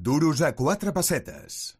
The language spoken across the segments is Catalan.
Duros a 4 pessetes.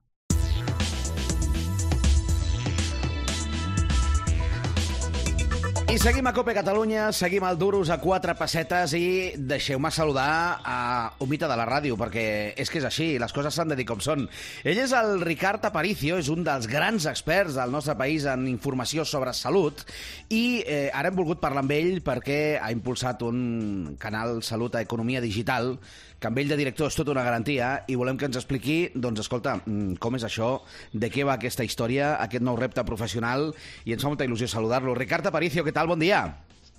I seguim a Cope Catalunya, seguim al Duros a 4 pessetes i deixeu-me saludar a un mite de la ràdio, perquè és que és així, les coses s'han de dir com són. Ell és el Ricard Aparicio, és un dels grans experts del nostre país en informació sobre salut i ara hem volgut parlar amb ell perquè ha impulsat un canal Salut a Economia Digital que amb ell de director és tota una garantia i volem que ens expliqui, doncs escolta, com és això, de què va aquesta història, aquest nou repte professional, i ens fa molta il·lusió saludar-lo. Ricard Aparicio, què tal? Bon dia.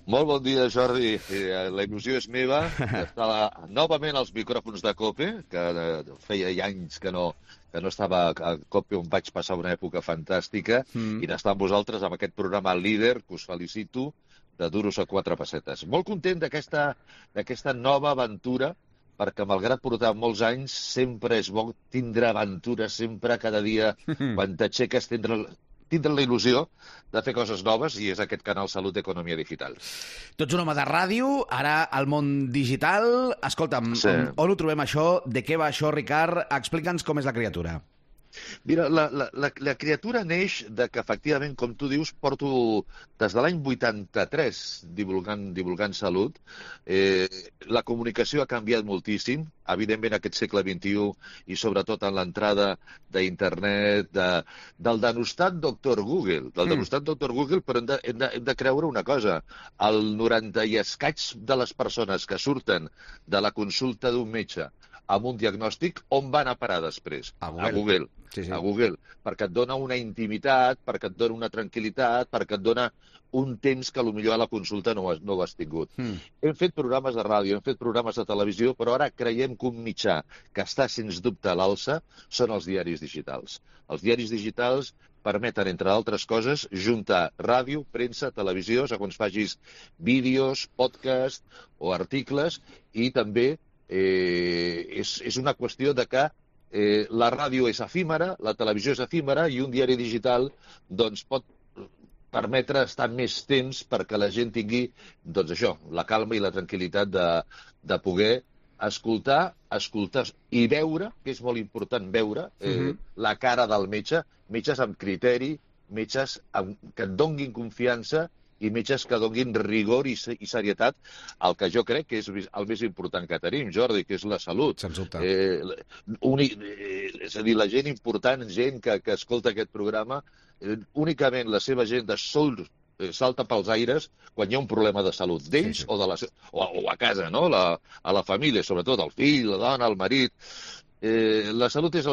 Molt bon dia, Jordi. La il·lusió és meva d'estar novament als micròfons de COPE, que feia anys que no estava a COPE, on vaig passar una època fantàstica, i d'estar amb vosaltres amb aquest programa líder, que us felicito, de Duros a 4 pessetes. Molt content d'aquesta nova aventura, perquè malgrat portar molts anys, sempre és bo tindre aventures, sempre, cada dia, quan t'aixeques, tindre la il·lusió de fer coses noves, i és aquest canal Salut Economia Digital. Tu ets un home de ràdio, ara al món digital. Escolta'm, sí. On ho trobem això? De què va això, Ricard? Explica'ns com és la criatura. Mira, la criatura neix de que, efectivament, com tu dius, porto des de l'any 83 divulgant salut. La comunicació ha canviat moltíssim, evidentment aquest segle XXI, i sobretot en l'entrada d'internet, del denostat Dr. Google. Però hem de creure una cosa. El 90 i escaig de les persones que surten de la consulta d'un metge amb un diagnòstic, on van a parar després? A Google. Sí. A Google, perquè et dona una intimitat, perquè et dona una tranquil·litat, perquè et dona un temps que potser a la consulta no ho has tingut. Hem fet programes de ràdio, hem fet programes de televisió, però ara creiem que un mitjà que està sens dubte a l'alça són els diaris digitals. Els diaris digitals permeten, entre altres coses, juntar ràdio, premsa, televisió, segons facis vídeos, podcast o articles, i també és una qüestió de que la ràdio és efímera, la televisió és efímera, i un diari digital doncs, pot permetre estar més temps perquè la gent tingui, doncs això, la calma i la tranquil·litat de poder escoltar i veure, que és molt important veure, la cara del metge, metges amb criteri, metges que et donguin confiança i metges que donin rigor i serietat al que jo crec que és el més important que tenim, Jordi, que és la salut. Sens dubte. És a dir, la gent important, gent que escolta aquest programa, únicament la seva gent de sol salta pels aires quan hi ha un problema de salut d'ells o a casa, no? A la família, sobretot el fill, la dona, el marit. La salut és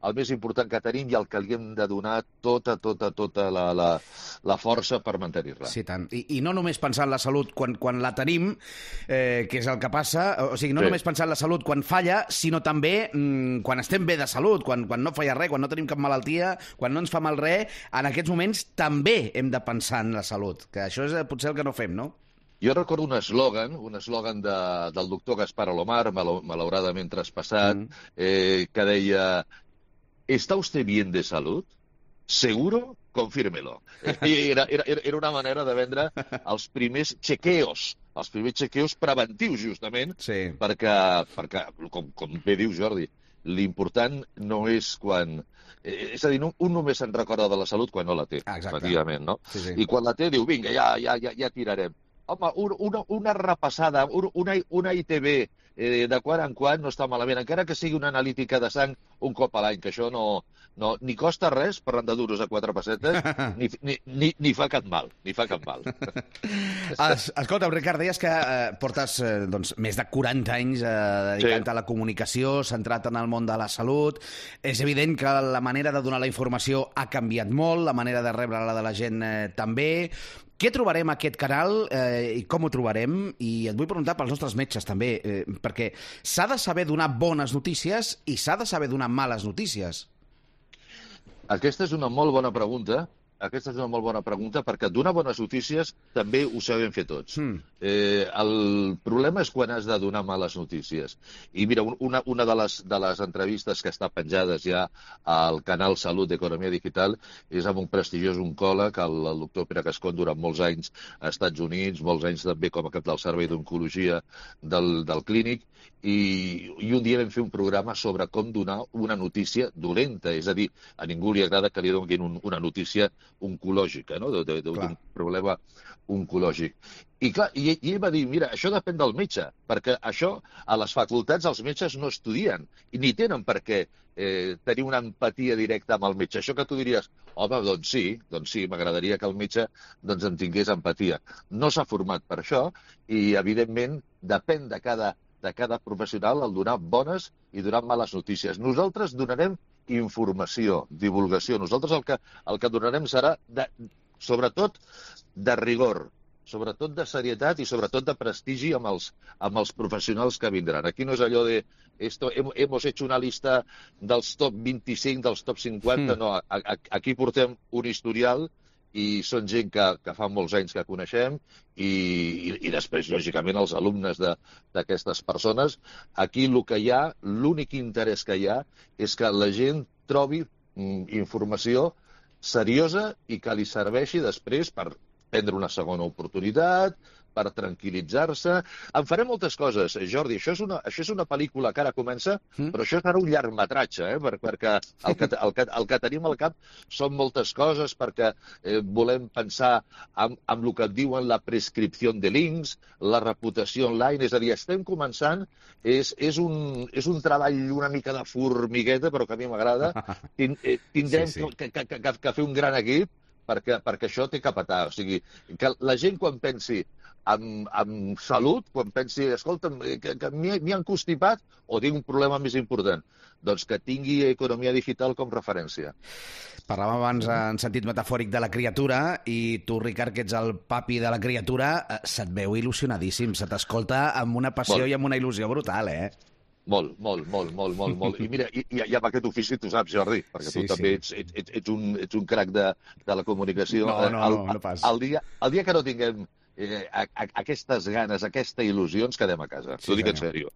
el més important que tenim i el que li hem de donar tota la força per mantenir-la. Sí, tant. I no només pensar en la salut quan la tenim, que és el que passa, o sigui, no només pensar en la salut quan falla, sinó també quan estem bé de salut, quan no falla res, quan no tenim cap malaltia, quan no ens fa mal res, en aquests moments també hem de pensar en la salut, que això és potser el que no fem, no? Jo recordo un eslògan del doctor Gaspar Alomar, malauradament traspassat, que deia: ¿está usted bien de salud? ¿Seguro? Confírmelo. Era una manera de vendre els primers chequeos preventius, justament, perquè com bé diu Jordi, l'important no és quan... És a dir, un només se'n recorda de la salut quan no la té, efectivament, no? Sí. I quan la té diu, vinga, ja tirarem. Home, una repassada, una ITB de quan en quan no està malament, encara que sigui una analítica de sang un cop a l'any, que això ni costa res, parlant de Duros a 4 pessetes, ni fa cap mal, Escolta, Ricard, deies que portes més de 40 anys dedicant a la comunicació, centrat en el món de la salut. És evident que la manera de donar la informació ha canviat molt, la manera de rebre-la de la gent també. Què trobarem a aquest canal i com ho trobarem? I et vull preguntar pels nostres metges també, perquè s'ha de saber donar bones notícies i s'ha de saber donar males notícies. Aquesta és una molt bona pregunta. aquesta és una molt bona pregunta, perquè donar bones notícies també ho sabem fer tots. El problema és quan has de donar males notícies. I mira, una de les entrevistes que està penjades ja al canal Salut d'Economia Digital és amb un prestigiós oncòleg, el doctor Pere Cascón, durant molts anys als Estats Units, molts anys també com a cap del Servei d'Oncologia del Clínic, i un dia vam fer un programa sobre com donar una notícia dolenta, és a dir, a ningú li agrada que li donin una notícia oncològica, no? D'un problema oncològic. I clar, i ell va dir, mira, això depèn del metge, perquè això a les facultats els metges no estudien, i ni tenen per què tenir una empatia directa amb el metge. Això que tu diries, home, doncs sí, m'agradaria que el metge en tingués empatia. No s'ha format per això, i evidentment depèn de cada professional el donar bones i donar males notícies. Nosaltres donarem informació, divulgació. Nosaltres el que donarem serà, sobretot, de rigor, sobretot de serietat i sobretot de prestigi amb els professionals que vindran. Aquí no és allò de hemos hecho una lista dels top 25, dels top 50, no. Aquí portem un historial i són gent que fa molts anys que coneixem i després, lògicament, els alumnes d'aquestes persones. Aquí el que hi ha, l'únic interès que hi ha és que la gent trobi informació seriosa i que li serveixi després per prendre una segona oportunitat, per tranquil·litzar-se. En farem moltes coses, Jordi. Això és una pel·lícula que ara comença, però això serà un llargmetratge, perquè el que tenim al cap són moltes coses, perquè volem pensar en el que et diuen la prescripció de links, la reputació online, és a dir, estem començant, és un treball una mica de formigueta, però que a mi m'agrada. Tindrem que fer un gran equip, perquè això té que petar. O sigui, que la gent quan pensi en salut, quan pensi, escolta'm, que m'hi han constipat o tinc un problema més important, doncs que tingui economia digital com referència. Parlàvem abans en sentit metafòric de la criatura i tu, Ricard, que ets el papi de la criatura, se't veu il·lusionadíssim, se t'escolta amb una passió i amb una il·lusió brutal, eh? Molt. I mira, i amb aquest ofici tu saps, Jordi, perquè tu també ets un crac de la comunicació. No pas. El dia que no tinguem aquestes ganes, aquesta il·lusió, ens quedem a casa. T'ho dic en sèrio.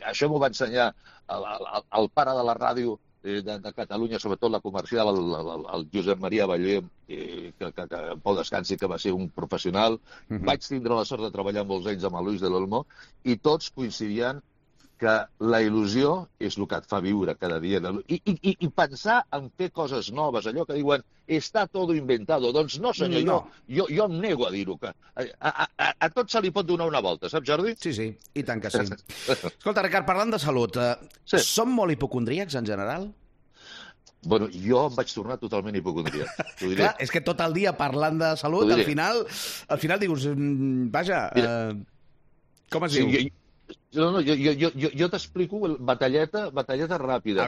Això m'ho va ensenyar el pare de la ràdio de Catalunya, sobretot la comercial, el Josep Maria Ballé, que en pau descansi, que va ser un professional. Vaig tindre la sort de treballar molts anys amb el Luis de l'Olmo i tots coincidien que la il·lusió és el que et fa viure cada dia. I pensar en fer coses noves, allò que diuen està tot inventado. Doncs no, senyor, jo em nego a dir-ho. A tot se li pot donar una volta, saps, Jordi? Sí, i tant que sí. Escolta, Ricard, parlant de salut, som molt hipocondríacs en general? Bueno, jo em vaig tornar totalment hipocondríac. Clar, és que tot el dia parlant de salut, al final dius, vaja, com es diu? No, jo t'explico batalleta ràpida.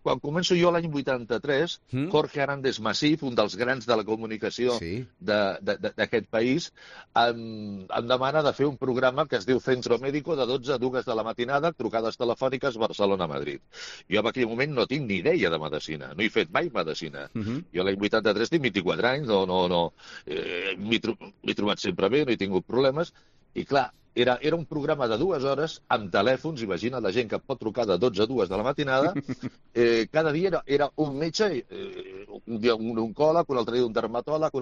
Quan començo jo l'any 83, Jorge Arandes Masif, un dels grans de la comunicació d'aquest país, em demana de fer un programa que es diu Centro Médico de 12 a 2 de la matinada, trucades telefòniques Barcelona-Madrid. Jo en aquell moment no tinc ni idea de medicina, no he fet mai medicina. Jo l'any 83 tinc 24 anys, m'he trobat sempre bé, no he tingut problemes, i clar, era un programa de 2 hores amb telèfons, imagina la gent que pot trucar de 12 a 2 de la matinada. Cada dia era un metge, un dia un oncòleg, un altre dia un dermatòleg.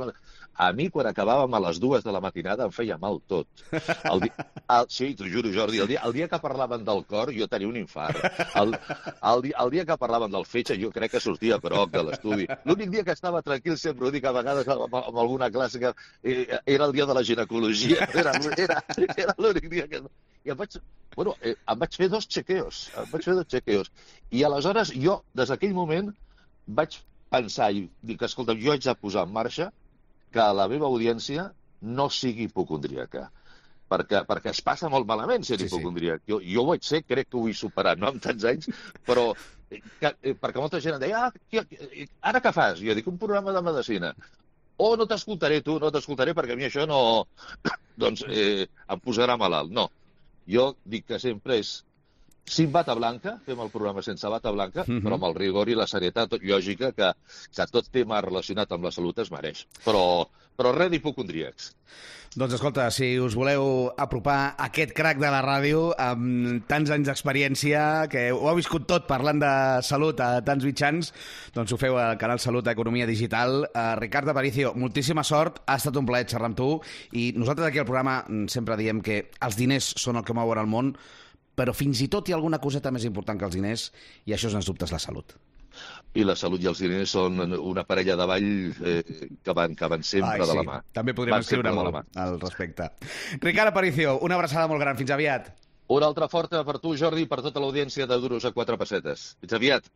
A mi, quan acabàvem a les 2 de la matinada, em feia mal tot. Sí, t'ho juro, Jordi, el dia que parlaven del cor, jo tenia un infart. El dia que parlaven del fetge, jo crec que sortia groc de l'estudi. L'únic dia que estava tranquil, sempre ho dic a vegades amb alguna classe, era el dia de la ginecologia. Era l'únic dia que... I em vaig fer 2 chequeos. I aleshores jo, des d'aquell moment, vaig pensar i dic, escolta, jo haig de posar en marxa que la meva audiència no sigui hipocondríaca. Perquè es passa molt malament ser hipocondríac. Jo ho vaig ser, crec que ho he superat, no amb tants anys, però perquè molta gent em deia, ara què fas? Jo dic, un programa de medicina. No t'escoltaré, perquè a mi això no... Doncs em posarà malalt. No. Jo dic que sempre és Sin bata blanca, fem el programa sense bata blanca, però amb el rigor i la serietat lògica que tot tema relacionat amb la salut es mereix. Però res d'hipocondríacs. Doncs escolta, si us voleu apropar aquest crac de la ràdio amb tants anys d'experiència, que ho ha viscut tot parlant de salut a tants mitjans, doncs ho feu al canal Salut Economia Digital. Ricard Aparicio, moltíssima sort, ha estat un plaer xerrar amb tu, i nosaltres aquí al programa sempre diem que els diners són el que mouen el món, però fins i tot hi ha alguna coseta més important que els diners, i això, sens dubte, és la salut. I la salut i els diners són una parella de ball que van sempre de la mà. També podríem escriure molt al respecte. Ricard Aparicio, una abraçada molt gran. Fins aviat. Una altra forta per tu, Jordi, i per tota l'audiència de Duros a 4 pessetes. Fins aviat.